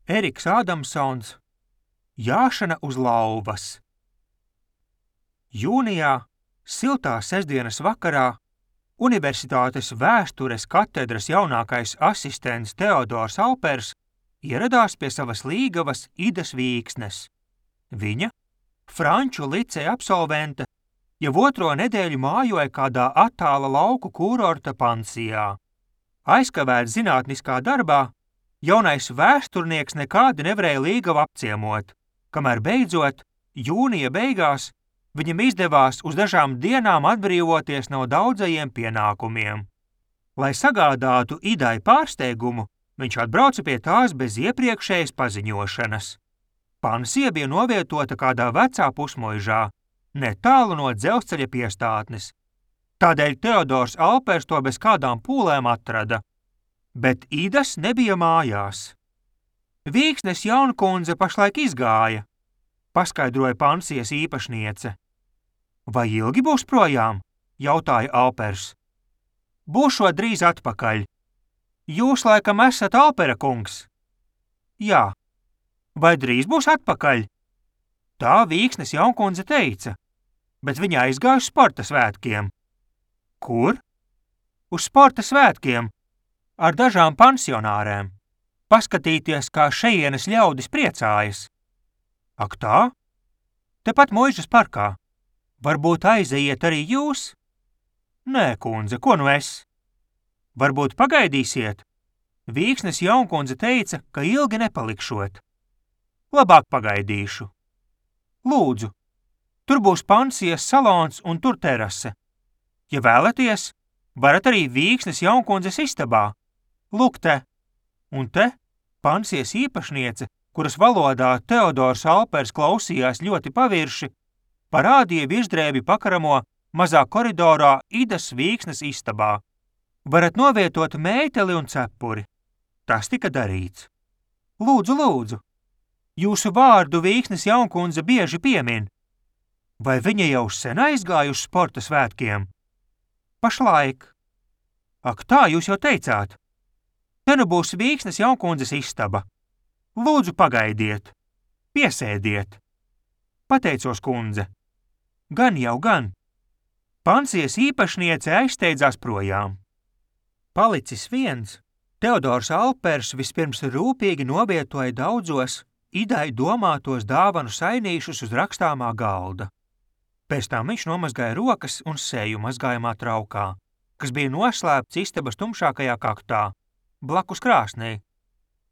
Eriks Ādamsons, Jāšana uz lauvas. Jūnijā, siltā sestdienas vakarā, Universitātes vēstures katedras jaunākais asistents Teodors Alpers ieradās pie savas līgavas Idas Vīksnes. Viņa, franču liceja absolvente, jau otro nedēļu mājoja kādā attāla lauku kūrorta pansijā. Aizkavēts zinātniskā darbā, jaunais vēsturnieks nekādi nevarēja līgavu apciemot, kamēr beidzot, jūnija beigās, viņam izdevās uz dažām dienām atbrīvoties no daudzajiem pienākumiem. Lai sagādātu Idai pārsteigumu, viņš atbrauca pie tās bez iepriekšējas paziņošanas. Pansija bija novietota kādā vecā pusmuižā, netālu no dzelzceļa piestātnes. Tādēļ Teodors Alpers to bez kādām pūlēm atrada. Bet Idas nebija mājās. Vīksnes jaunkundze pašlaik izgāja, paskaidroja pansijas īpašniece. Vai ilgi būs projām? Jautāja Alpers. Būšot drīz atpakaļ. Jūs laikam esat Alpera kungs? Jā. Vai drīz būs atpakaļ? Tā Vīksnes jaunkundze teica, bet viņa aizgāja uz sporta svētkiem. Kur? Uz sporta svētkiem, ar dažām pansionārēm. Paskatīties, kā šejienes ļaudis priecājas. Ak tā? Tepat muižas parkā. Varbūt aizejiet arī jūs? Nē, kundze, ko nu es? Varbūt pagaidīsiet? Vīksnes jaunkundze teica, ka ilgi nepalikšot. Labāk pagaidīšu. Lūdzu, tur būs pansijas salons un tur terase. Ja vēlaties, varat arī Vīksnes jaunkundzes istabā. Lūk te. Un te pansijas īpašniece, kuras valodā Teodors Alpers klausījās ļoti pavirši, parādīja virsdrēbi pakaramo mazā koridorā Idas Vīksnes istabā. Varat novietot mēteli un cepuri. Tas tika darīts. Lūdzu, lūdzu. Jūsu vārdu Vīksnes jaunkundze bieži piemin. Vai viņa jau sen aizgāja uz sporta svētkiem? Pašlaik. Ak tā, jūs jau teicāt. Te nu būs Vīksnes jaunkundzes istaba. Lūdzu, pagaidiet. Piesēdiet. Pateicos, kundze. Gan jau gan. Pansijas īpašniece aizsteidzās projām. Palicis viens, Teodors Alpers vispirms rūpīgi novietoja daudzos Idai domātos dāvanu sainīšus uz rakstāmā galda. Pēc tam viņš nomazgāja rokas un seju mazgājumā traukā, kas bija noslēpts istabas tumšākajā kaktā, blakus krāsnī,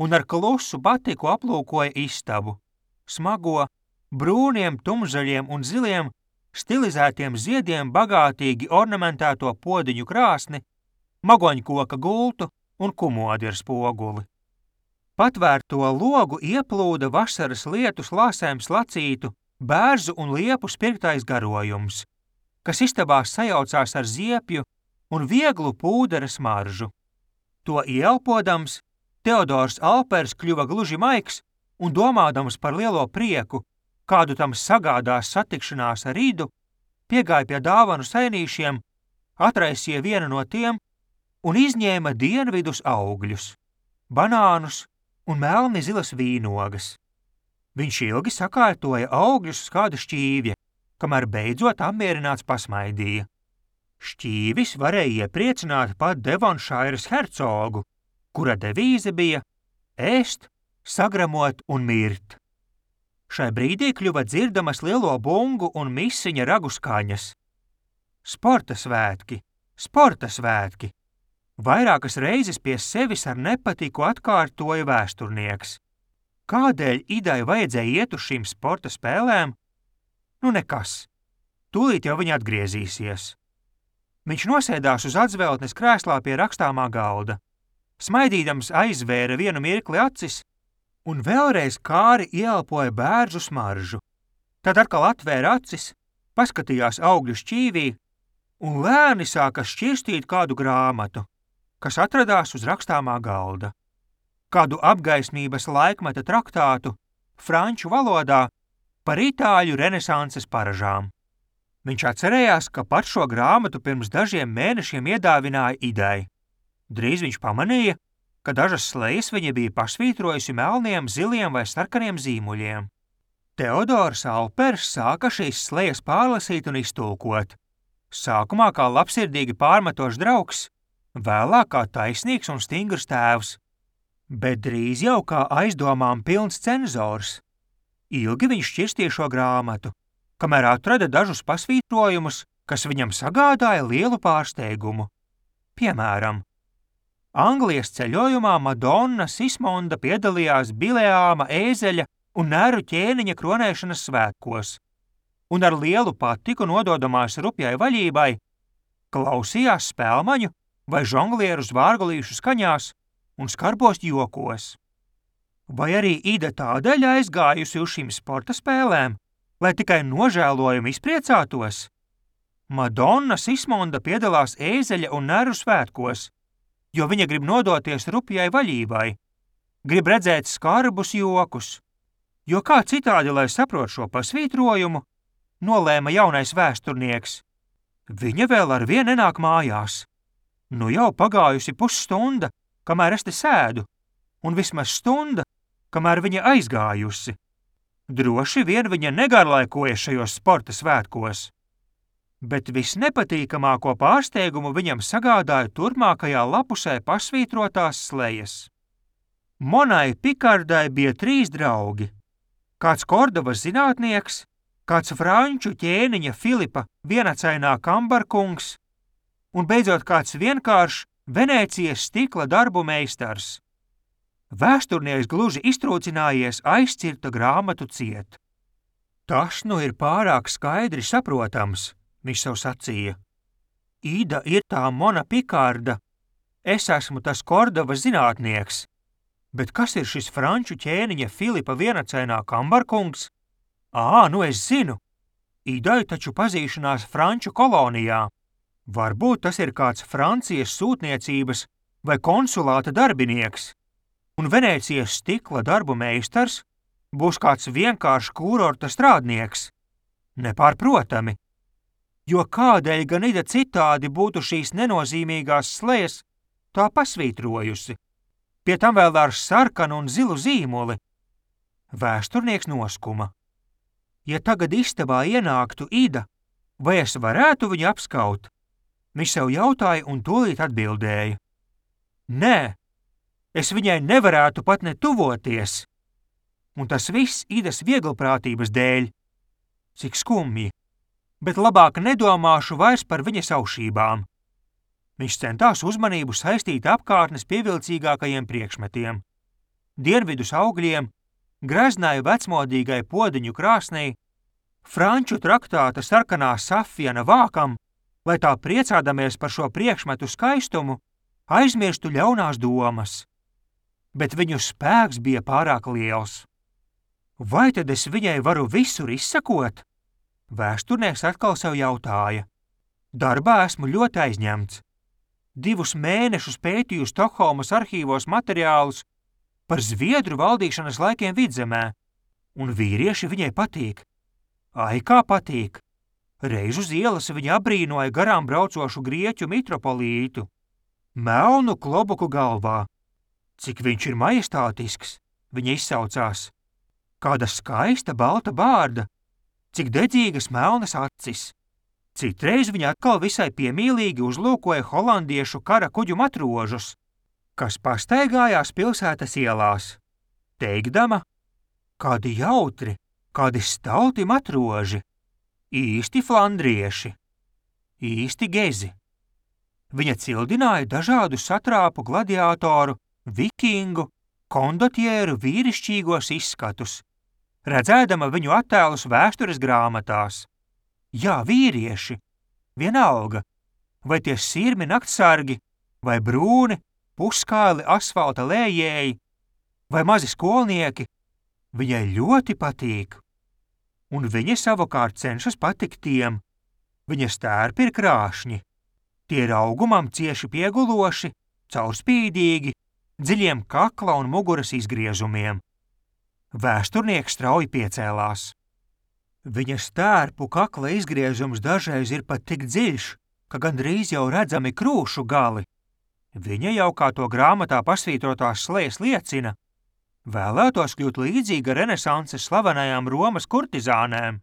un ar klusu batiku aplūkoja istabu, smago, brūniem, tumzaļiem un ziliem, stilizētiem ziediem bagātīgi ornamentēto podiņu krāsni, magoņkoka gultu un kumodi ar spoguli. Patvērto logu ieplūda vasaras lietu slāsēm slacītu, bērzu un liepu spirktais garojums, kas istabā sajaucās ar ziepju un vieglu pūdera smaržu. To ieelpodams, Teodors Alpers kļuva gluži maigs un domādams par lielo prieku, kādu tam sagādās satikšanās ar Idu, piegāja pie dāvanu sainīšiem, atraisīja vienu no tiem un izņēma dienvidus augļus, banānus un melni zilas vīnogas. Viņš ilgi sakārtoja augļus uz kāda šķīvja, kamēr beidzot apmierināts pasmaidīja. Šķīvis varēja iepriecināt pat Devonšairas hercogu, kura devīze bija ēst, sagramot un mirt. Šai brīdī kļuva dzirdamas lielo bungu un misiņa ragu skaņas. Sporta svētki, sporta svētki! Vairākas reizes pie sevis ar nepatiku atkārtoja vēsturnieks. Kādēļ Idai vajadzēja iet uz šīm sporta spēlēm? Nu nekas. Tūlīt jau viņa atgriezīsies. Viņš nosēdās uz atzveltnes krēslā pie rakstāmā galda. Smaidīdams aizvēra vienu mirkli acis un vēlreiz kāri ieelpoja bērzu smaržu. Tad atkal atvēra acis, paskatījās augļu šķīvī un lēni sāka šķirstīt kādu grāmatu, kas atradās uz rakstāmā galda. Kādu apgaismības laikmeta traktātu franču valodā par itāļu renesanses paražām. Viņš atcerējās, ka pat šo grāmatu pirms dažiem mēnešiem iedāvināja Idai. Drīz viņš pamanīja, ka dažas slejas viņa bija pasvītrojusi melniem, ziliem vai sarkaniem zīmuļiem. Teodors Aupers sāka šīs slejas pārlasīt un iztulkot. Sākumā kā labsirdīgi pārmetošs draugs, vēlāk kā taisnīgs un stingrs tēvs, bet drīz jau kā aizdomām pilns cenzors. Ilgi viņš šķirstīja šo grāmatu, kamēr atrada dažus pasvītrojumus, kas viņam sagādāja lielu pārsteigumu. Piemēram, Anglijas ceļojumā Madonna Sismonda piedalījās Bileāma ēzeļa un Neru ķēniņa kronēšanas svētkos, un ar lielu patiku nododamās rupjai vaļībai klausījās spēlmaņu vai žonglieru zvārgulīšu skaņās un skarbos jokos. Vai arī Ida tādēļ aizgājusi uz šīm sporta spēlēm, lai tikai nožēlojumi izpriecātos? Madonna Sismonda piedalās ēzeļa un Neru svētkos, jo viņa grib nodoties rupjai vaļībai, grib redzēt skarbus jokus, jo kā citādi, lai saprot šo pasvītrojumu, nolēma jaunais vēsturnieks. Viņa vēl ar vien nenāk mājās. Nu jau pagājusi pusstunda, kamēr es te sēdu, un vismaz stunda, kamēr viņa aizgājusi. Droši vien viņa negarlaikojas šajos sporta svētkos. Bet visnepatīkamāko pārsteigumu viņam sagādāja turpmākajā lapusē pasvītrotās slejas. Monai Pikardai bija 3 draugi. Kāds Kordovas zinātnieks, kāds franču ķēniņa Filipa vienacainā kambarkungs un beidzot kāds vienkāršs Venēcijas stikla darbu meistars. Vēsturnieks gluži iztrūcinājies aizcirta grāmatu ciet. Tas nu ir pārāk skaidri saprotams, viņš sev sacīja. Ida ir tā Mona Pikarda, es esmu tas Kordovas zinātnieks. Bet kas ir šis franču ķēniņa Filipa vienacainā kambarkungs? Nu es zinu. Idai taču pazīšanās franču kolonijā. Varbūt tas ir kāds Francijas sūtniecības vai konsulāta darbinieks. Un Venēcijas stikla darbu meistars būs kāds vienkāršs kūrorta strādnieks. Nepārprotami. Jo kādēļ gan Ida citādi būtu šīs nenozīmīgās slejas tā pasvītrojusi? Pie tam vēl ar sarkanu un zilu zīmuli. Vēsturnieks noskuma. Ja tagad istabā ienāktu Ida, vai es varētu viņu apskaut? Viņš sev jautāja un tūlīt atbildēja. Nē, es viņai nevarētu pat ne tuvoties. Un tas viss Idas vieglprātības dēļ. Cik skumji, bet labāk nedomāšu vairs par viņas aušībām. Viņš centās uzmanību saistīt apkārtnes pievilcīgākajiem priekšmetiem. Dienvidus augļiem, greznai vecmodīgai podiņu krāsnī, franču traktāta sarkanā safiena vākam, lai tā priecādamies par šo priekšmetu skaistumu, aizmirstu ļaunās domas. Bet viņu spēks bija pārāk liels. Vai tad es viņai varu visur izsakot? Vēsturnieks atkal sev jautāja. Darbā esmu ļoti aizņemts. 2 mēnešus pētīju Stokholmas arhīvos materiālus par Zviedru valdīšanas laikiem Vidzemē, un vīrieši viņai patīk. Ai, kā patīk! Reiz uz ielas viņa abrīnoja garām braucošu grieķu mitropolītu, melnu klobuku galvā. Cik viņš ir majestātisks, viņa izsaucās. Kāda skaista balta bārda, cik dedzīgas melnas acis. Citreiz viņa atkal visai piemīlīgi uzlūkoja holandiešu kara kuģu matrožus, kas pastaigājās pilsētas ielās, teikdama, kādi jautri, kādi stauti matroži, īsti flandrieši, īsti gezi. Viņa cildināja dažādu satrāpu gladiātoru, vikingu, kondotieru vīrišķīgos izskatus, redzēdama viņu attēlus vēstures grāmatās. Jā, vīrieši, vienalga, vai tie sirmi naktsargi, vai brūni, puskāli asfalta lējēji, vai mazi skolnieki, viņai ļoti patīk. Un viņa savukārt cenšas patikt tiem. Viņas tērpi ir krāšņi, tie ir augumam cieši pieguloši, caurspīdīgi, dziļiem kakla un muguras izgriezumiem. Vēsturnieks strauji piecēlās. Viņas tērpu kakla izgriezums dažreiz ir pat tik dziļš, ka gandrīz jau redzami krūšu gali. Viņa jau, kā to grāmatā pasvītrotās slejas liecina, vēlētos kļūt līdzīga renesanses slavenajām Romas kurtizānēm,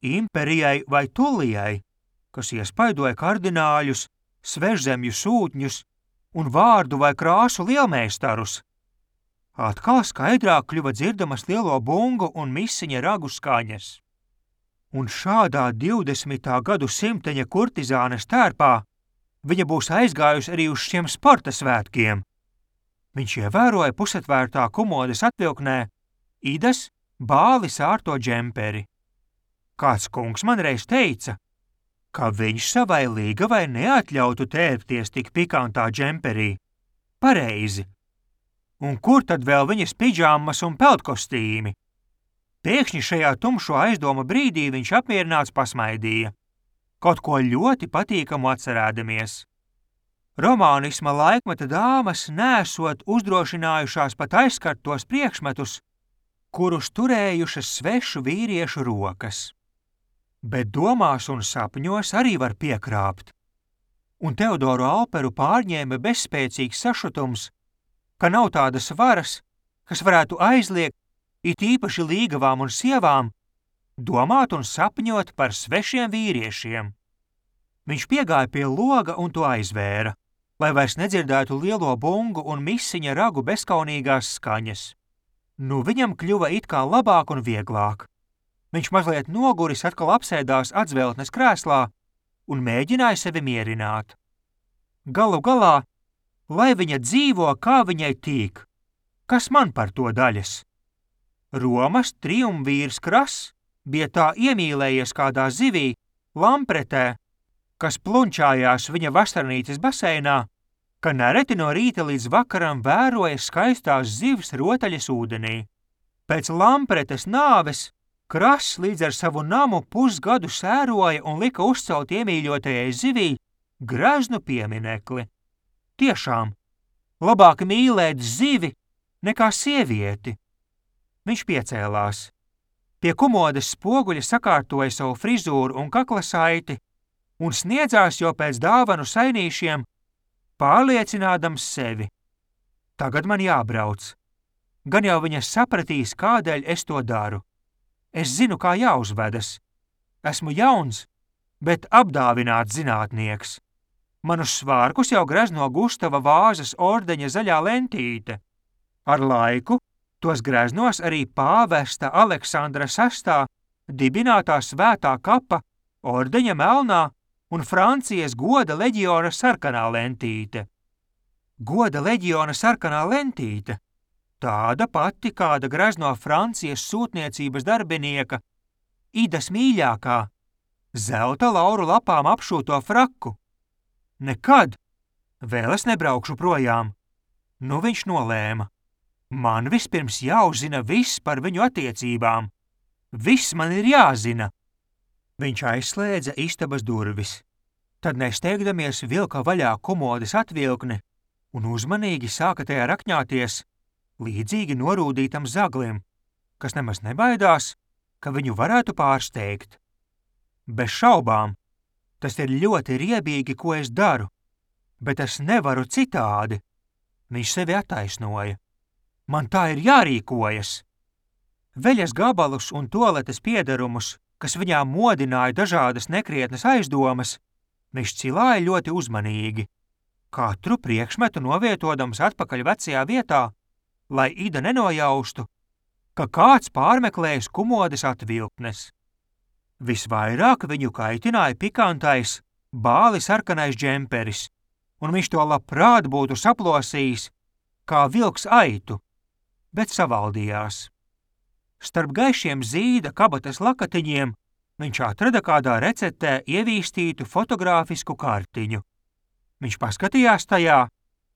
Imperijai vai Tullijai, kas iespaidoja kardināļus, svežzemju sūtņus un vārdu vai krāsu lielmeistarus. Atkal skaidrāk kļuva dzirdamas lielo bungu un misiņa ragu skaņas. Un šādā 20. gadu simteņa kurtizānes tērpā viņa būs aizgājusi arī uz šiem sporta svētkiem. Viņš ievēroja pusatvērtā komodes atvilknē Idas bāli sārto džemperi. Kāds kungs man reiz teica, ka viņš savai līgavai neatļautu tērpties tik pikantā džemperī. Pareizi. Un kur tad vēl viņas pidžāmas un peltkostīmi? Pēkšņi šajā tumšo aizdoma brīdī viņš apmierināts pasmaidīja. Kaut ko ļoti patīkamu atcerēdamies. Romānisma laikmeta dāmas nesot uzdrošinājušās pat aizskart tos priekšmetus, kurus turējušas svešu vīriešu rokas. Bet domās un sapņos arī var piekrāpt. Un Teodoru Alperu pārņēma bezspēcīgs sašutums, ka nav tādas varas, kas varētu aizliegt, it īpaši līgavām un sievām, domāt un sapņot par svešiem vīriešiem. Viņš piegāja pie loga un to aizvēra, lai vairs nedzirdētu lielo bungu un misiņa ragu bezkaunīgās skaņas. Nu viņam kļuva it kā labāk un vieglāk. Viņš mazliet noguris atkal apsēdās atzveltnes krēslā un mēģināja sevi mierināt. Galu galā, lai viņa dzīvo, kā viņai tīk, kas man par to daļas? Romas triumvīrs Krass bija tā iemīlējies kādā zivī, lampretē, kas plunčājās viņa vasarnītes baseinā, ka nereti no rīta līdz vakaram vēroja skaistās zivs rotaļas ūdenī. Pēc lampretes nāves Krass līdz ar savu namu pusgadu sēroja un lika uzcelt iemīļotajai zivī greznu pieminekli. Tiešām, labāk mīlēt zivi nekā sievieti. Viņš piecēlās. Pie komodes spoguļa sakārtoja savu frizūru un kakla saiti un sniedzās jau pēc dāvanu sainīšiem, pārliecinādams sevi. Tagad man jābrauc. Gan jau viņa sapratīs, kādēļ es to daru. Es zinu, kā jāuzvedas. Esmu jauns, bet apdāvināts zinātnieks. Manus svārkus jau grezno Gustava Vāzes ordeņa zaļā lentīte. Ar laiku tos greznos arī pāvesta Aleksandra VI dibinātā svētā kapa ordeņa melnā un Francijas goda leģiona sarkanā lentīte. Goda leģiona sarkanā lentīte? Tāda pati, kāda grezno Francijas sūtniecības darbinieka, Idas mīļākā, zelta lauru lapām apšūto fraku. Nekad! Vēl es nebraukšu projām. Nu viņš nolēma. Man vispirms jāuzzina viss par viņu attiecībām. Viss man ir jāzina. Viņš aizslēdza istabas durvis. Tad nesteigdamies vilka vaļā komodes atvilkni un uzmanīgi sāka tajā rakņāties, līdzīgi norūdītam zaglim, kas nemaz nebaidās, ka viņu varētu pārsteigt. Bez šaubām, tas ir ļoti riebīgi, ko es daru, bet es nevaru citādi. Viņš sevi attaisnoja. Man tā ir jārīkojas. Veļas gabalus un toaletes piederumus, kas viņā modināja dažādas nekrietnas aizdomas, viņš cilāja ļoti uzmanīgi, katru priekšmetu novietodams atpakaļ vecajā vietā, lai Ida nenojaustu, ka kāds pārmeklējis komodes atvilknes. Visvairāk viņu kaitināja pikantais, bāli sarkanais džemperis, un viņš to labprāt būtu saplosījis, kā vilks aitu, bet savaldījās. Starp gaišiem zīda kabatas lakatiņiem viņš atrada kādā receptē ievīstītu fotogrāfisku kartiņu. Viņš paskatījās tajā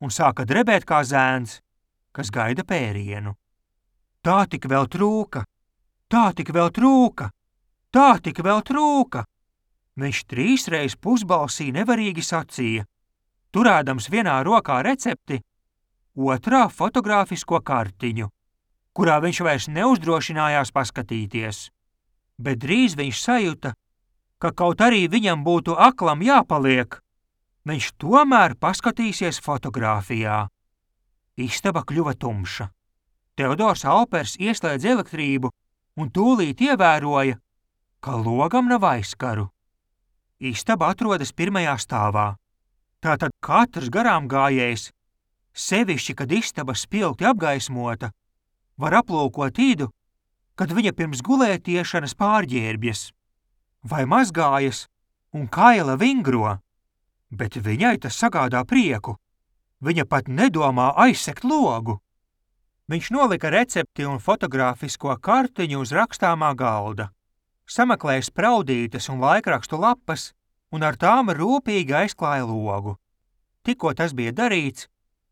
un sāka drebēt kā zēns, kas gaida pērienu. Tā tik vēl trūka, tā tik vēl trūka, tā tik vēl trūka. Viņš 3 reiz pusbalsī nevarīgi sacīja, turēdams vienā rokā recepti, otrā fotogrāfisko kartiņu, kurā viņš vairs neuzdrošinājās paskatīties. Bet drīz viņš sajuta, ka kaut arī viņam būtu aklam jāpaliek, Viņš tomēr paskatīsies fotogrāfijā. Istaba kļuva tumša. Teodors Alpers ieslēdz elektrību un tūlīt ievēroja, ka logam nav aizkaru. Istaba atrodas pirmajā stāvā. Tātad katrs garām gājējs, sevišķi, kad istaba spilgti apgaismota, var aplūkot Idu, kad viņa pirms gulētiešanas pārģērbjas, vai mazgājas un kaila vingro, bet viņai tas sagādā prieku. Viņa pat nedomā aizsegt logu. Viņš nolika recepti un fotogrāfisko kartiņu uz rakstāmā galda, sameklēja spraudītes un laikrakstu lapas un ar tām rūpīgi aizklāja logu. Tikko tas bija darīts,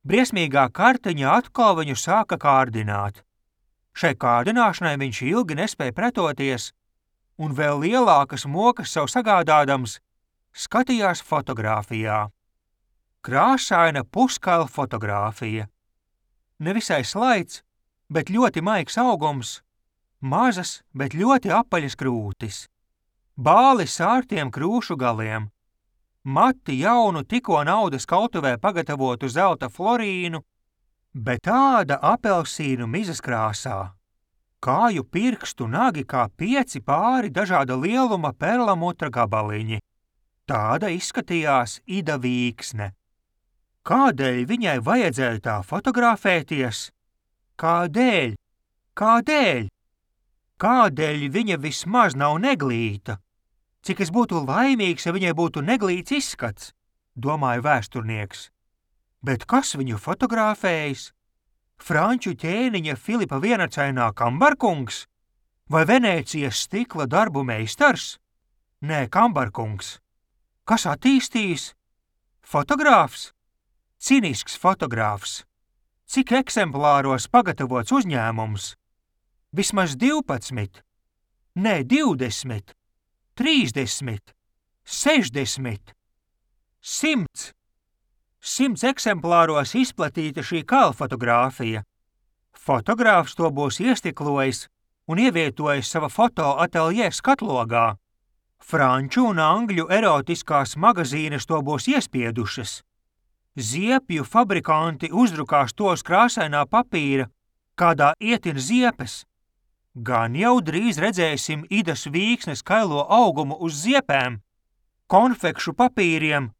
briesmīgā kartiņa atkal viņu sāka kārdināt. Šai kārdināšanai viņš ilgi nespēja pretoties un vēl lielākas mokas sev sagādādams skatījās fotogrāfijā. Krāsaina puskaila fotogrāfija. Nevisai slaids, bet ļoti maigs augums, mazas, bet ļoti apaļas krūtis, bāli sārtiem krūšu galiem, mati jaunu tikko naudas kautuvē pagatavotu zelta florīnu, bet tāda apelsīnu mizas krāsā. Kāju pirkstu nagi kā 5 pāri dažāda lieluma perlamutra gabaliņi. Tāda izskatījās Ida Vīksne. Kādēļ viņai vajadzēja tā fotografēties? Kādēļ? Kādēļ? Kādēļ viņa vismaz nav neglīta? Cik es būtu laimīgs, ja viņai būtu neglīts izskats, domāja vēsturnieks. Bet kas viņu fotografējis? Franču ķēniņa Filipa vienacainā kambarkungs? Vai Venēcijas stikla darbu meistars? Nē, kambarkungs. Kas attīstījis? Fotogrāfs? Cinisks fotogrāfs. Cik eksemplāros pagatavots uzņēmums? Vismaz 12, nē 20, 30, 60, 100. 100 eksemplāros izplatīta šī kalfotogrāfija. Fotogrāfs to būs iestiklojis un ievietojis sava fotoateljē skatlogā. Franču un angļu erotiskās magazīnes to būs iespiedušas. Ziepju fabrikanti uzdrukās to uz krāsainā papīra, kādā ietin ziepes. Gan jau drīz redzēsim Idas Vīksnes kailo augumu uz ziepēm, konfekšu papīriem,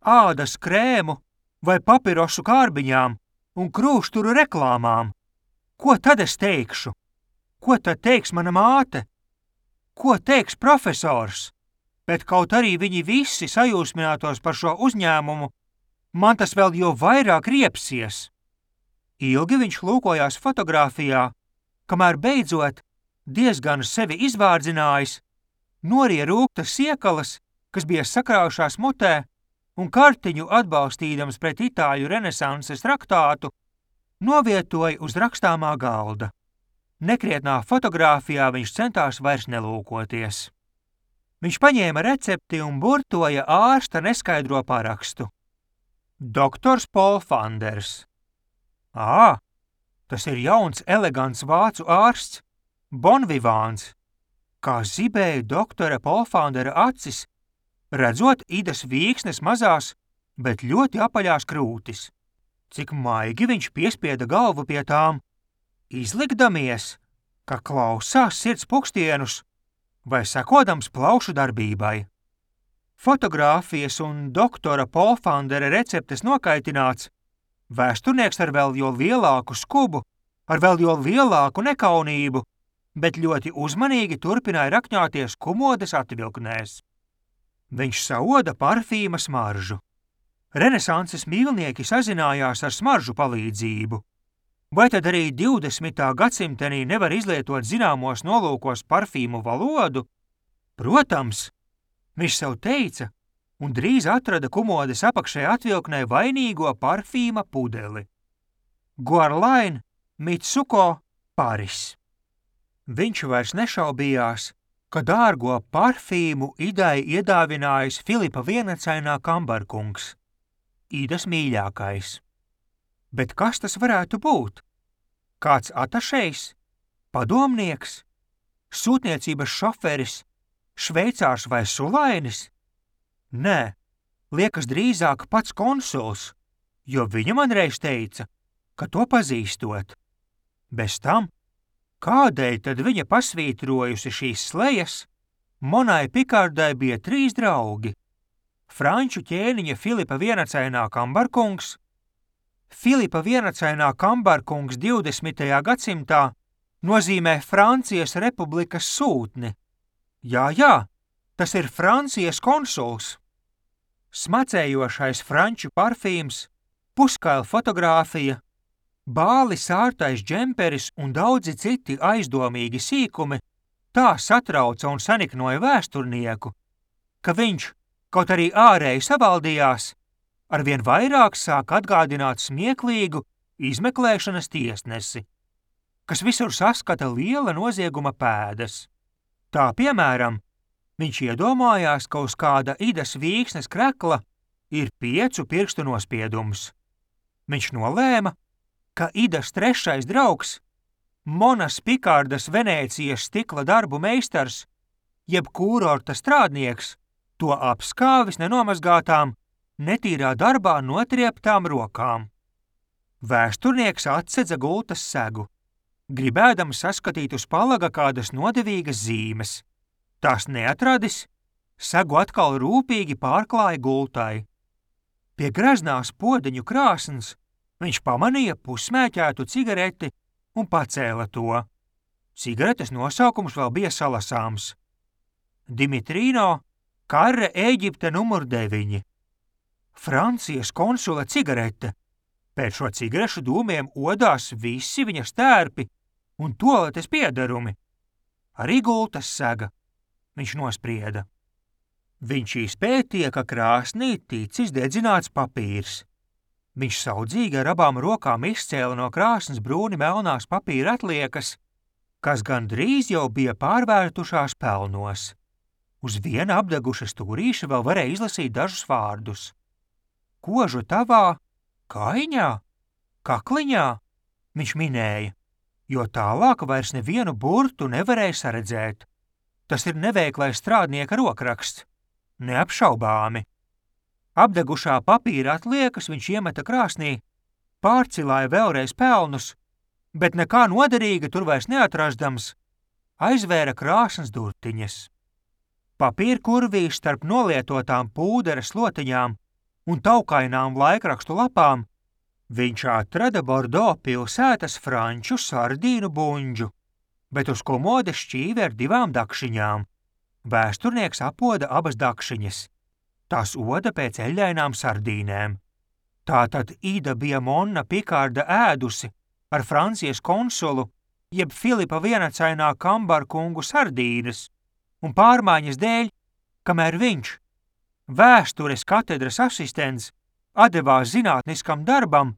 ādas krēmu vai papirosu kārbiņām un krūšturu reklāmām. Ko tad es teikšu? Ko tad teiks mana māte? Ko teiks profesors? Bet kaut arī viņi visi sajūsminātos par šo uzņēmumu, man tas vēl jo vairāk riepsies. Ilgi viņš lūkojās fotogrāfijā, kamēr beidzot, diezgan sevi izvārdzinājis, norija rūktas siekalas, kas bija sakraujušās mutē, un kartiņu atbalstīdams pret itāļu renesanses traktātu, novietoja uz rakstāmā galda. Nekrietnā fotogrāfijā viņš centās vairs nelūkoties. Viņš paņēma recepti un burtoja ārsta neskaidro parakstu. Doktors Polfanders. Tas ir jauns, elegants vācu ārsts, bonvivāns, kā zibēja doktora Polfandera acis, redzot Idas Vīksnes mazās, bet ļoti apaļās krūtis. Cik maigi viņš piespieda galvu pie tām, izlikdamies, ka klausās sirds pukstienus vai sekodams plaušu darbībai. Fotogrāfijas un doktora Polfandera receptes nokaitināts, vēsturnieks ar vēl jo lielāku skubu, ar vēl jo lielāku nekaunību, bet ļoti uzmanīgi turpināja rakņāties kumodes atvilknēs. Viņš saoda parfīma smaržu. Renesanses mīlnieki sazinājās ar smaržu palīdzību. Vai tad arī 20. gadsimtenī nevar izlietot zināmos nolūkos parfīmu valodu? Protams, viņš sev teica, un drīz atrada kumodes apakšē atvilknē vainīgo parfīma pudeli. Guerlain Mitsuko Paris. Viņš vairs nešaubījās, ka dārgo parfīmu Idai iedāvinājis Filipa vienacainā kambarkungs, Idas mīļākais. Bet kas tas varētu būt? Kāds atašejs? Padomnieks? Sūtniecības šoferis? Šveicārs vai sulainis? Nē, liekas drīzāk pats konsuls, jo viņa man reiz teica, ka to pazīstot. Bez tam, kādēļ tad viņa pasvītrojusi šīs slejas, Monai Pikardai bija 3 draugi – franču ķēniņa Filipa vienacainā kambarkungs. Filipa vienacainā kambarkungs 20. gadsimtā nozīmē Francijas republikas sūtni. Jā, tas ir Francijas konsuls. Smacējošais franču parfīms, puskaila fotogrāfija, bāli sārtais džemperis un daudzi citi aizdomīgi sīkumi tā satrauca un saniknoja vēsturnieku, ka viņš, kaut arī ārēji savaldījās, arvien vairāk sāk atgādināt smieklīgu izmeklēšanas tiesnesi, kas visur saskata liela nozieguma pēdas. Tā, piemēram, viņš iedomājās, ka uz kāda Idas Vīksnes krekla ir 5 pirkstu nospiedums. Viņš nolēma, ka Idas 3. draugs, Monas Pikardas Venēcijas stikla darbu meistars, jeb kūrorta strādnieks, to apskāvis nenomazgātām, netīrā darbā notrieptām rokām. Vēsturnieks atsedza gultas segu, gribēdams saskatīt uz palaga kādas nodevīgas zīmes. Tās neatradis, segu atkal rūpīgi pārklāja gultai. Pie greznās podeņu krāsns viņš pamanīja pusmēķētu cigareti un pacēla to. Cigaretes nosaukums vēl bija salasāms. Dimitrino, Karre Ēģipte numur 9. Francijas konsula cigarete. Pēc šo cigarešu dūmiem odās visi viņa stērpi un toaletes piedarumi. Arī gultas sega, viņš nosprieda. Viņš izpētīja, ka krāsnī ticis dedzināts papīrs. Viņš saudzīgi ar abām rokām izcēla no krāsnes brūni melnās papīra atliekas, kas gandrīz jau bija pārvērtušās pelnos. Uz viena apdeguša stūrīša vēl varēja izlasīt dažus vārdus. Kožu tavā, kaiņā, kakliņā, viņš minēja, jo tālāk vairs nevienu burtu nevarēja saredzēt. Tas ir neveiklais strādnieka rokraksts, neapšaubāmi. Apdegušā papīra atliekas viņš iemeta krāsnī, pārcilāja vēlreiz pelnus, bet nekā noderīga tur vairs neatrastams, aizvēra krāsnes durtiņas. Papīra kurvī starp nolietotām pūdera slotiņām un taukainām laikrakstu lapām viņš atrada Bordo pilsētas franču sardīnu buņģu, bet uz komodes šķīvi ar 2 dakšiņām. Vēsturnieks apoda abas dakšiņas. Tās oda pēc eļļainām sardīnēm. Tātad Ida bija Monna Pikarda ēdusi ar Francijas konsulu, jeb Filipa vienacainā kambarkungu sardīnes, un pārmaiņas dēļ, kamēr viņš, vēstures katedras asistents, atdevās zinātniskam darbam,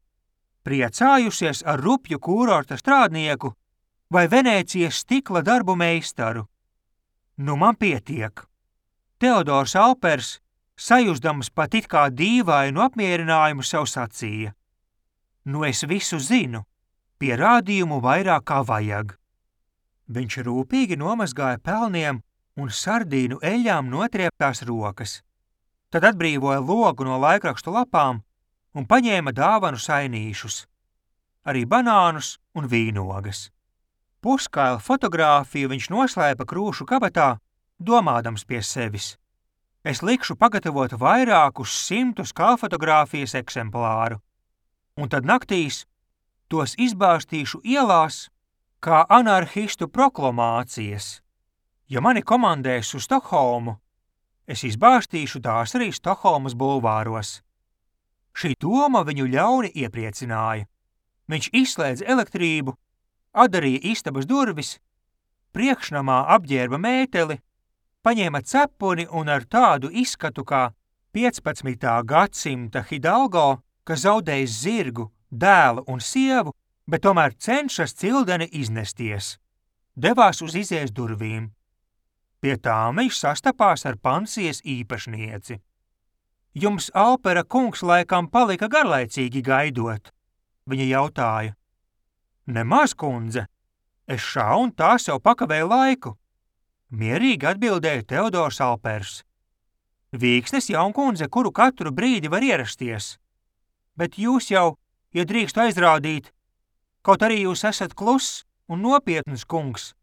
priecājusies ar rupju kūrorta strādnieku vai Venēcijas stikla darbu meistaru. Nu man pietiek. Teodors Alpers, sajūsdams pat it kā dīvainu apmierinājumu, sev sacīja. Nu es visu zinu, pierādījumu vairāk kā vajag. Viņš rūpīgi nomazgāja pelniem un sardīnu eļļām notrieptās rokas. Tad atbrīvoja logu no laikrakstu lapām un paņēma dāvanu sainīšus, arī banānus un vīnogas. Puskaila fotogrāfiju viņš noslēpa krūšu kabatā, domādams pie sevis. Es likšu pagatavot vairākus 100 kāfotogrāfijas eksemplāru, un tad naktīs tos izbārstīšu ielās kā anarhistu proklamācijas. Ja mani komandēs uz Stokholmu, es izbārstīšu tās arī Stokholmas bulvāros. Šī doma viņu ļauni iepriecināja. Viņš izslēdza elektrību, atdarīja istabas durvis, priekšnamā apģērba mēteli, paņēma cepuni un ar tādu izskatu kā 15. gadsimta Hidalgo, kas zaudējis zirgu, dēlu un sievu, bet tomēr cenšas cildeni iznesties, devās uz izejas durvīm. Pie tām viņš sastapās ar pansijas īpašnieci. Jums Alpera kungs laikam palika garlaicīgi gaidot, viņa jautāja. Nemaz, kundze, es šā un tā sev pakavēju laiku, mierīgi atbildēja Teodors Alpers. Vīksnes jaunkundze, kuru katru brīdi var ierasties. Bet jūs jau, ja drīkstu aizrādīt, kaut arī jūs esat kluss un nopietns kungs,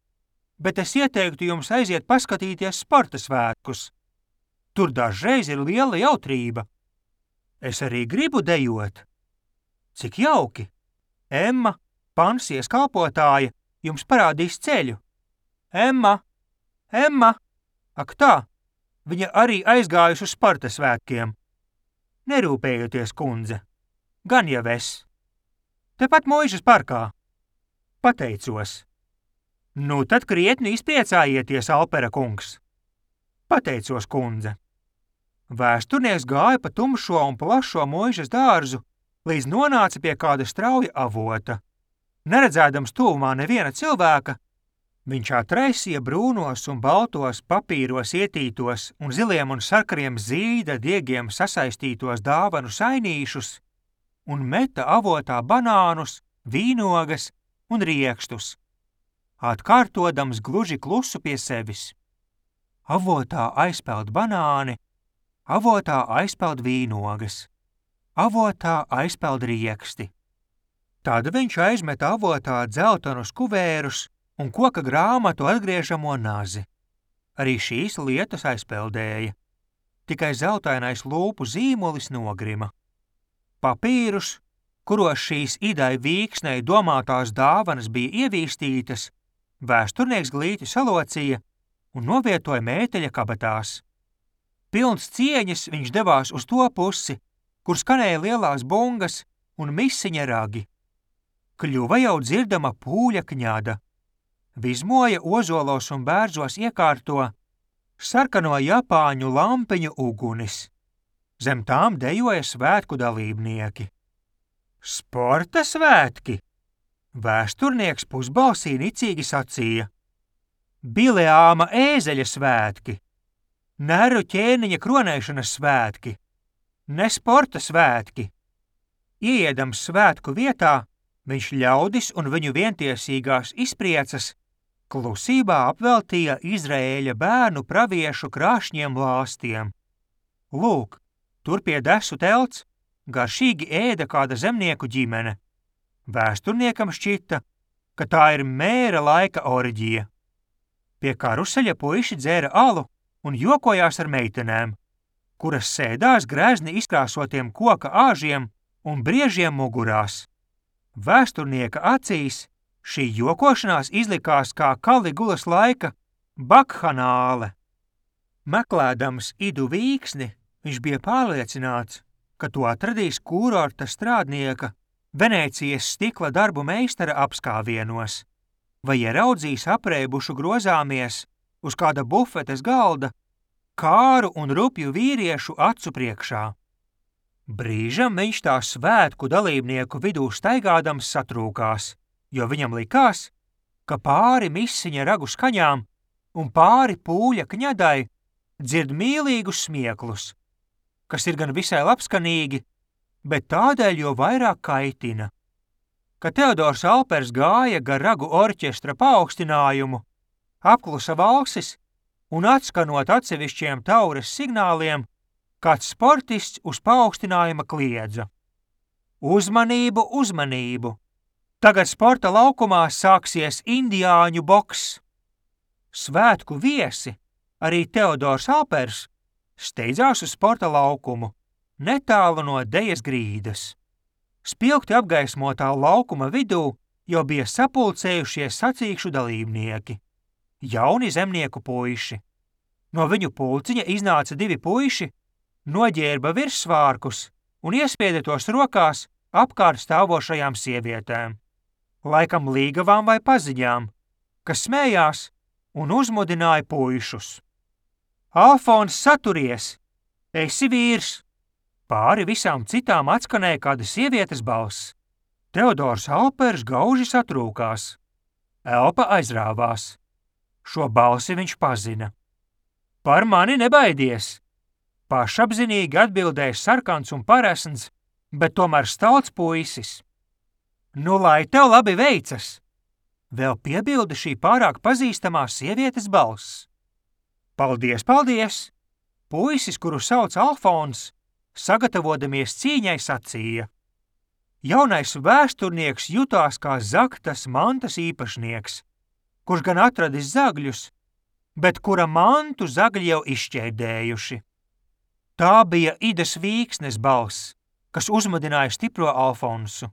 bet es ieteiktu jums aiziet paskatīties sporta svētkus. Tur dažreiz ir liela jautrība. Es arī gribu dejot. Cik jauki! Emma, pansies kalpotāja, jums parādīs ceļu. Emma! Ak tā, viņa arī aizgājusi uz sporta svētkiem. Nerūpējieties, kundze, gan jau es. Tepat Muižas parkā. Pateicos. Nu tad krietni izpriecājieties, Alpera kungs. Pateicos, kundze. Vēsturnieks gāja pa tumšo un plašo Muižas dārzu, līdz nonāca pie kāda strauja avota. Neredzēdams tuvumā neviena cilvēka, viņš atraisīja brūnos un baltos papīros ietītos un ziliem un sarkariem zīda diegiem sasaistītos dāvanu sainīšus un meta avotā banānus, vīnogas un riekstus, atkārtodams gluži klusu pie sevis. Avotā aizpeld banāni, avotā aizpeld vīnogas, avotā aizpeld rieksti. Tad viņš aizmeta avotā dzeltenus kuvērus un koka grāmatu atgriežamo nazi. Arī šīs lietas aizpeldēja. Tikai zeltainais lūpu zīmolis nogrima. Papīrus, kuros šīs idai vīksnei domātās dāvanas bija ievīstītas, vēsturnieks glīti salocīja un novietoja mēteļa kabatās. Pilns cieņas viņš devās uz to pusi, kur skanēja lielās bungas un misiņa ragi. Kļuva jau dzirdama pūļa kņada. Vizmoja ozolos un bērzos iekārto sarkano japāņu lampiņu ugunis. Zem tām dejoja svētku dalībnieki. Sporta svētki! Vēsturnieks pusbalsī nicīgi sacīja. Bileāma ēzeļa svētki! Neru ķēniņa kronēšanas svētki! Ne sporta svētki! Ieiedams svētku vietā, viņš ļaudis un viņu vientiesīgās izpriecas klusībā apveltīja Izraēļa bērnu praviešu krāšņiem lāstiem. Lūk, tur pie desu telts garšīgi ēda kāda zemnieku ģimene. Vēsturniekam šķita, ka tā ir mēra laika orģija. Pie karuseļa puiši dzēra alu un jokojās ar meitenēm, kuras sēdās grezni izkrāsotiem koka āžiem un briežiem mugurās. Vēsturnieka acīs šī jokošanās izlikās kā Kaligulas laika bakhanāle. Meklēdams Idu Vīksni, viņš bija pārliecināts, ka to atradīs kūrorta strādnieka Venēcijas stikla darbu meistara apskāvienos, vai ieraudzīs apreibušu grozāmies uz kāda bufetes galda kāru un rupju vīriešu acu priekšā. Brīžam viņš tā svētku dalībnieku vidū staigādams satrūkās, jo viņam likās, ka pāri misiņa ragu skaņām un pāri pūļa kņadai dzird mīlīgus smieklus, kas ir gan visai labskanīgi, bet tādēļ jo vairāk kaitina. Kad Teodors Alpers gāja gar ragu orķestra paaugstinājumu, apklusa valsis un atskanot atsevišķiem taures signāliem, kāds sportists uz paaugstinājuma kliedza. Uzmanību, uzmanību! Tagad sporta laukumā sāksies indiāņu boks. Svētku viesi, arī Teodors Alpers, steidzās uz sporta laukumu, netālu no dejas grīdas. Spilgti apgaismotā laukuma vidū jau bija sapulcējušies sacīkšu dalībnieki. Jauni zemnieku puiši. No viņu pulciņa iznāca 2 puiši, noģērba virssvārkus un iespieda tos rokās apkārt stāvošajām sievietēm, laikam līgavām vai paziņām, kas smējās un uzmudināja puišus. Alfons, saturies! Esi vīrs! Pāri visām citām atskanēja kāda sievietes balss. Teodors Alpers gauži satrūkās. Elpa aizrāvās. Šo balsi viņš pazina. Par mani nebaidies! Pašapzinīgi atbildēja sarkans un paresns, bet tomēr stalts puisis. Nu, lai tev labi veicas! Vēl piebilda šī pārāk pazīstamā sievietes balss. Paldies, paldies! puisis, kuru sauc Alfons, sagatavodamies cīņai sacīja: jaunais vēsturnieks jutās kā zaktas mantas īpašnieks, kurš gan atradis zagļus, bet kura mantu zagļi jau izšķērdējuši. Tā bija Idas Vīksnes balss, kas uzmudināja stipro Alfonsu.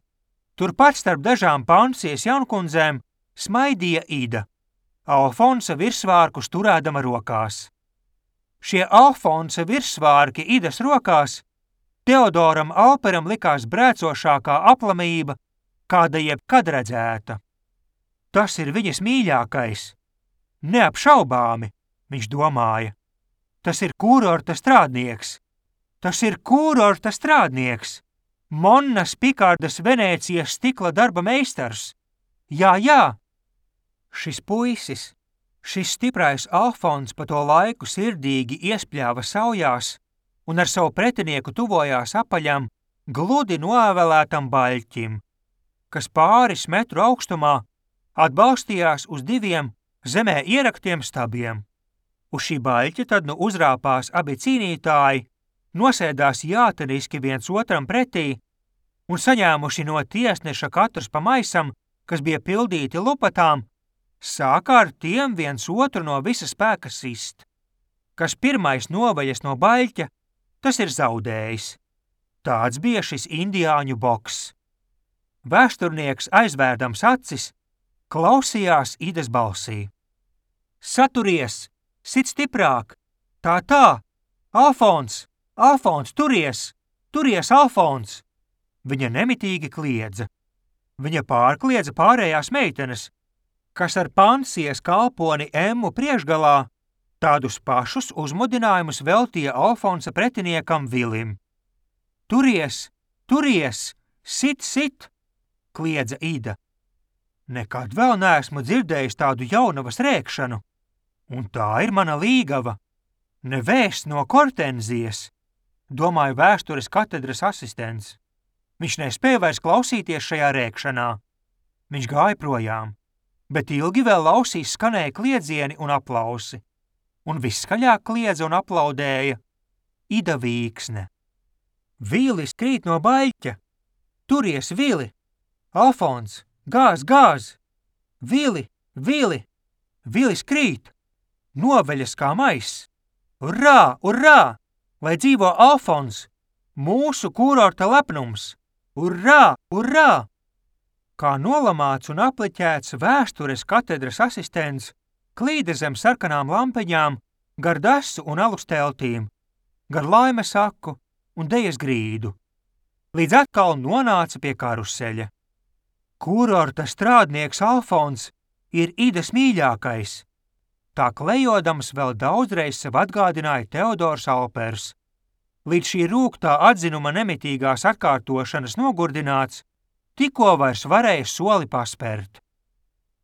Turpat starp dažām Pansijas jaunkundzēm smaidīja Ida, Alfonsa virsvārkus turēdama rokās. Šie Alfonsa virsvārki Idas rokās Teodoram Alperam likās brēcošākā aplamība, kāda jebkad redzēta. Tas ir viņas mīļākais. Neapšaubāmi, viņš domāja. Tas ir kurorta strādnieks. Tas ir kurorta strādnieks. Monnas Pikārdas Venēcijas stikla darba meistars. Jā, jā. Šis puisis, šis stiprais Alfons pa to laiku sirdīgi iespļāva saujās un ar savu pretinieku tuvojās apaļam, gludi novēlētam baļķim, kas pāris metru augstumā atbalstījās uz 2 zemē ieraktiem stabiem. Uz šī baļķa tad nu uzrāpās abi cīnītāji, nosēdās jāteniski viens otram pretī un saņēmuši no tiesneša katrs pa maisam, kas bija pildīti lupatām, sāka ar tiem viens otru no visa spēka sist. Kas pirmais noveļas no baļķa, tas ir zaudējis. Tāds bija šis indiāņu boks. Vēsturnieks aizvērdams acis, klausījās Idas balsī. Saturies, sit stiprāk, tā, Alfons, Alfons, turies, Alfons! Viņa nemitīgi kliedza. Viņa pārkliedza pārējās meitenes, kas ar Pansijas kalponi Emmu priekšgalā tādus pašus uzmudinājumus veltīja Alfonsa pretiniekam Vilim. Turies, sit, kliedza Ida. Nekad vēl neesmu dzirdējis tādu jaunavas rēkšanu, un tā ir mana līgava. Nevēsts no Kortenzijas, domāja vēstures katedras asistents. Viņš nespēja vairs klausīties šajā rēkšanā. Viņš gāja projām, bet ilgi vēl ausīs skanēja kliedzieni un aplausi, un viskaļāk kliedza un aplaudēja Ida Vīksne. Vīlis krīt no baļķa. Turies, Vili! Alfons, gāz! Vili! Vilis krīt! Noveļas kā maiss! Urrā! Lai dzīvo Alfons! Mūsu kurorta lepnums! Urrā! Kā nolamāts un apliķēts vēstures katedras asistents klīda zem sarkanām lampiņām, gar dasu un alus teltīm, gar laimes aku un dejas grīdu, līdz atkal nonāca pie karuseļa. Kurorta strādnieks Alfons ir Idas mīļākais. Tā klejodams vēl daudzreiz sev atgādināja Teodors Alpers. Līdz šī rūgtā atzinuma nemitīgās atkārtošanas nogurdināts, tikko vairs varēja soli paspērt.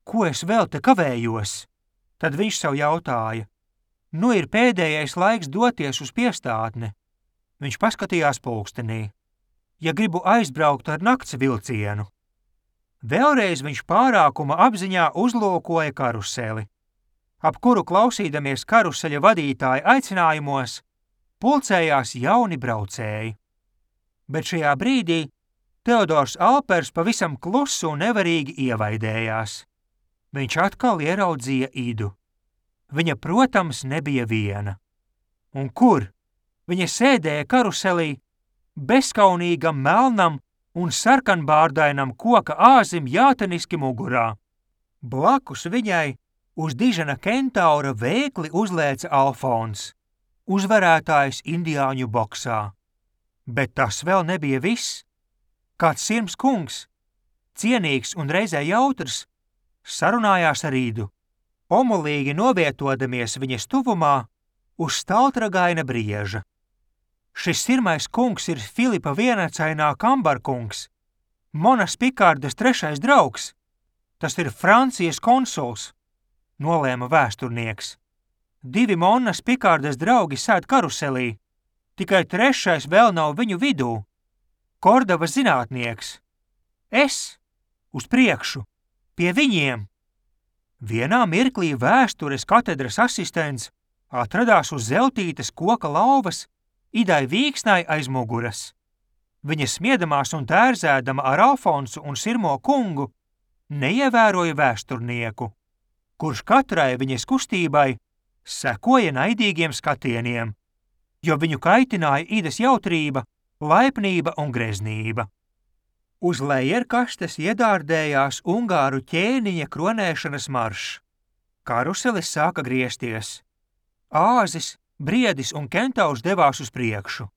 Ko es vēl te kavējos? Tad viņš sev jautāja. Nu ir pēdējais laiks doties uz piestātni. Viņš paskatījās pulkstenī. Ja gribu aizbraukt ar nakts vilcienu. Vēlreiz viņš pārākuma apziņā uzlūkoja karuseli, ap kuru klausīdamies karuseļa vadītāja aicinājumos, pulcējās jauni braucēji. Bet šajā brīdī Teodors Alpers pavisam klusu un nevarīgi ievaidējās. Viņš atkal ieraudzīja Idu. Viņa, protams, nebija viena. Un kur? Viņa sēdēja karuselī, bezkaunīgam melnam un sarkanbārdainam koka āzim jāteniski mugurā. Blakus viņai uz dižena kentaura vēkli uzlēca Alfons, uzvarētājs indiāņu boksā. Bet tas vēl nebija viss. Kāds sirms kungs, cienīgs un reizē jautrs, sarunājās ar Idu, omulīgi novietodamies viņas tuvumā uz staltragaina brieža. Šis sirmais kungs ir Filipa vienacainā kambarkungs, Monas Pikārdas 3. draugs. Tas ir Francijas konsuls, nolēma vēsturnieks. 2 Monas Pikārdas draugi sēd karuselī, tikai 3. vēl nav viņu vidū. Kordavas zinātnieks. Es, uz priekšu, pie viņiem. Vienā mirklī vēstures katedras asistents Atradās uz zeltītas koka lauvas Idai Vīksnai aiz muguras. Viņa smiedamās un tērzēdama ar Alfonsu un Sirmo kungu neievēroja vēsturnieku, kurš katrai viņas kustībai sekoja naidīgiem skatieniem, jo viņu kaitināja Idas jautrība, laipnība un greznība. Uz lejerkastes iedārdējās ungāru ķēniņa kronēšanas maršs. Karuselis sāka griezties. Āzis, Briedis un Kentaurs devās uz priekšu.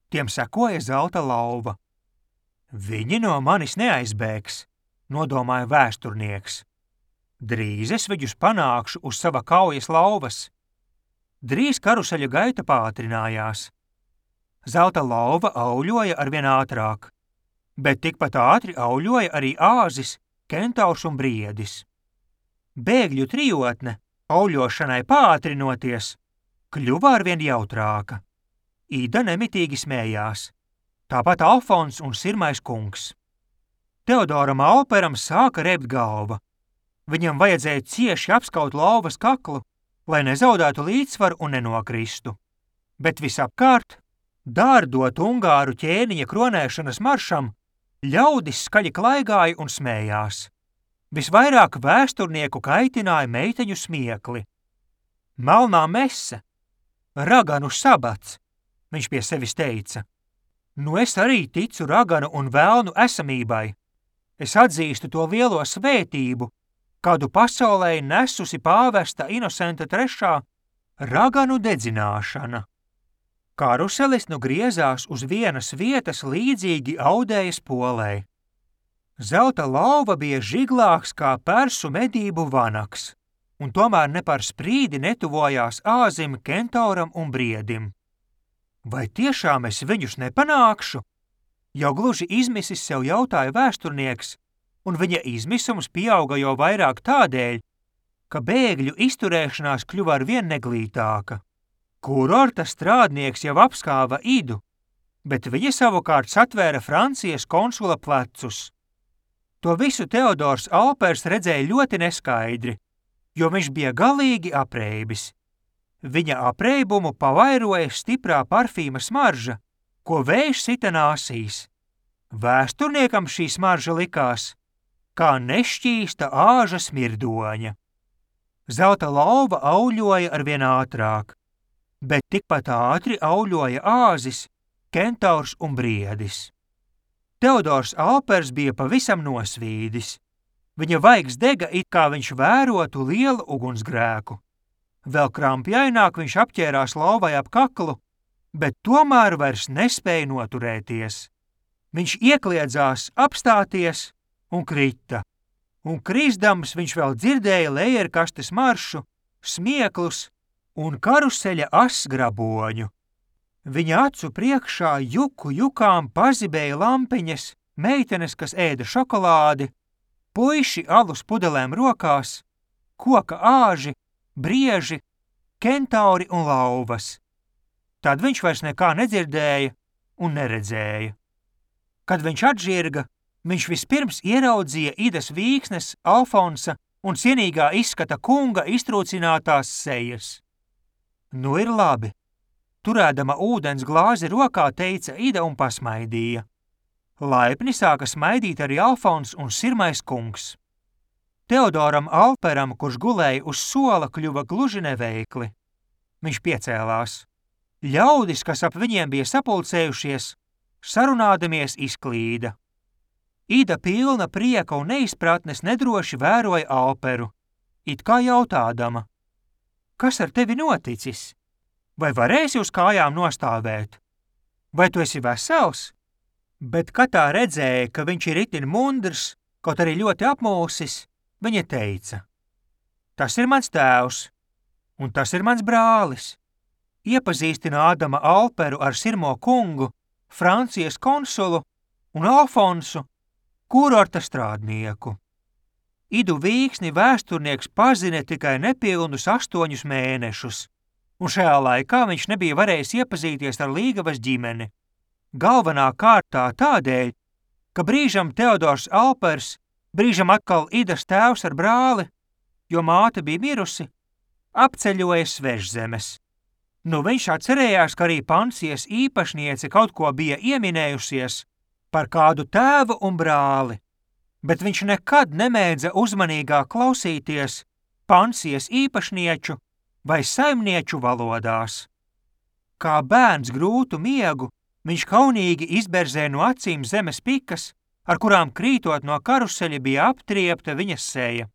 Tiem sekoja zelta lauva. Viņi no manis neaizbēgs, nodomāja vēsturnieks. Drīz es viņus panākšu uz sava kaujas lauvas. Drīz karuseļa gaita pātrinājās. Zelta lauva auļoja arvien ātrāk, bet tikpat ātri auļoja arī Āzis, Kentaurs un Briedis. Bēgļu trijotne, auļošanai pātrinoties, kļuva arvien jautrāka. Ida nemitīgi smējās, tāpat Alfons un Sirmais kungs. Teodoram Alperam sāka rebt galva. Viņam vajadzēja cieši apskaut lauvas kaklu, lai nezaudētu līdzsvaru un nenokristu. Bet visapkārt, dārdot ungāru ķēniņa kronēšanas maršam, ļaudis skaļi klaigāja un smējās. Visvairāk vēsturnieku kaitināja meiteņu smiekli. Melnā mese, raganu sabats, viņš pie sevis teica. Nu es arī ticu raganu un velnu esamībai. Es atzīstu to lielo svētību, kādu pasaulē nesusi pāvesta Inosenta III raganu dedzināšana. Karuselis nu griezās uz vienas vietas līdzīgi audējas polei. Zelta lauva bija žiglāks kā persu medību vanaks, un tomēr ne par sprīdi netuvojās Āzim, Kentauram un Briedim. Vai tiešām es viņus nepanākšu? Jau gluži izmisis sev jautāja vēsturnieks, un viņa izmisums pieauga jau vairāk tādēļ, ka bēgļu izturēšanās kļuva arvien neglītāka. Kurorta strādnieks jau apskāva Idu, bet viņa savukārt satvēra Francijas konsula plecus. To visu Teodors Alpers redzēja ļoti neskaidri, jo viņš bija galīgi apreibis. Viņa apreibumu pavairoja stiprā parfīma smarža, ko vējš sita nāsīs. Vēsturniekam šī smarža likās kā nešķīsta āža smirdoņa. Zelta lauva auļoja arvien ātrāk, bet tikpat ātri auļoja Āzis, Kentaurs un Briedis. Teodors Alpers bija pavisam nosvīdis. Viņa vaigs dega, it kā viņš vērotu lielu ugunsgrēku. Vēl krampjaināk viņš apķērās lauvai ap kaklu, bet tomēr vairs nespēja noturēties. Viņš iekliedzās apstāties un krita, un krisdams viņš vēl dzirdēja lejerkastes maršu, smieklus un karuseļa asgraboņu. Viņa acu priekšā juku jukām pazibēja lampiņas, meitenes, kas ēda šokolādi, puiši alus pudelēm rokās, koka āži, brieži, kentauri un lauvas. Tad viņš vairs nekā nedzirdēja un neredzēja. Kad viņš atžirga, viņš vispirms ieraudzīja Idas Vīksnes, Alfonsa un cienīgā izskata kunga iztrūcinātās sejas. Nu ir labi. Turēdama ūdens glāzi rokā teica Ida un pasmaidīja. Laipni sāka smaidīt arī Alfons un Sirmais kungs. Teodoram Alperam, kurš gulēja uz sola, kļuva gluži neveikli. Viņš piecēlās. Ļaudis, kas ap viņiem bija sapulcējušies, sarunādamies izklīda. Ida pilna prieka un neizpratnes nedroši vēroja Alperu, it kā jautādama. Kas ar tevi noticis? Vai varēsi uz kājām nostāvēt? Vai tu esi vesels? Bet, kad tā redzēja, ka viņš ir itin mundrs, kaut arī ļoti apmulsis, viņa teica. Tas ir mans tēvs, un tas ir mans brālis. Iepazīstinādama Alperu ar Sirmo kungu, Francijas konsulu un Alfonsu, kurorta strādnieku. Idu Vīksni vēsturnieks pazina tikai nepilnus 8 mēnešus, un šajā laikā viņš nebija varējis iepazīties ar Līgavas ģimeni. Galvenā kārtā tādēļ, ka brīžam Teodors Alpers, brīžam atkal Idas tēvs ar brāli, jo māte bija mirusi, apceļoja Svežzemes. Nu viņš atcerējās, ka arī pansijas īpašniece kaut ko bija ieminējusies par kādu tēvu un brāli, bet viņš nekad nemēdza uzmanīgāk klausīties pansijas īpašnieču vai saimnieču valodās. Kā bērns grūtu miegu, viņš kaunīgi izberzē no acīm zemes pikas, ar kurām krītot no karuseļa bija aptriepta viņas seja.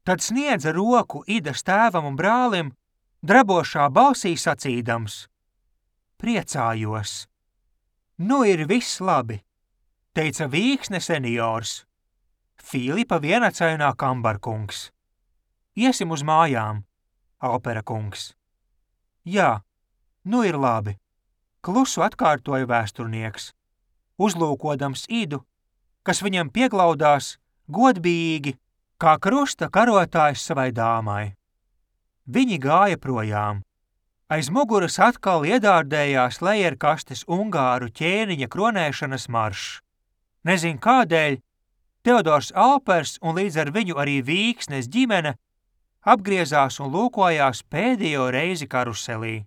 Tad sniedza roku Idas tēvam un brālim, drabošā balsī sacīdams: Priecājos! Nu ir viss labi, teica Vīksne seniors. Filipa vienacainā kambarkungs. Iesim uz mājām, Alpera kungs. Jā, nu ir labi, klusu atkārtoja vēsturnieks, uzlūkodams Idu, kas viņam pieglaudās godbijīgi, kā krusta karotājs savai dāmai. Viņi gāja projām. Aiz muguras atkal iedārdējās lejerkastes ungāru ķēniņa kronēšanas maršs. Nezin kādēļ, Teodors Alpers un līdz ar viņu arī Vīksnes ģimene apgriezās un lūkojās pēdējo reizi karuselī.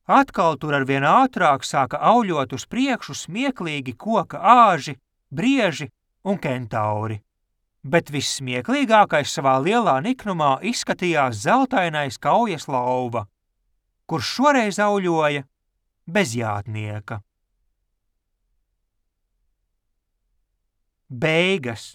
Atkal tur arvien ātrāk sāka auļot uz priekšu smieklīgi koka āži, brieži un kentauri. Bet vissmieklīgākais savā lielā niknumā izskatījās zeltainais kaujas lauva, kurš šoreiz auļoja bez jātnieka. Beigas.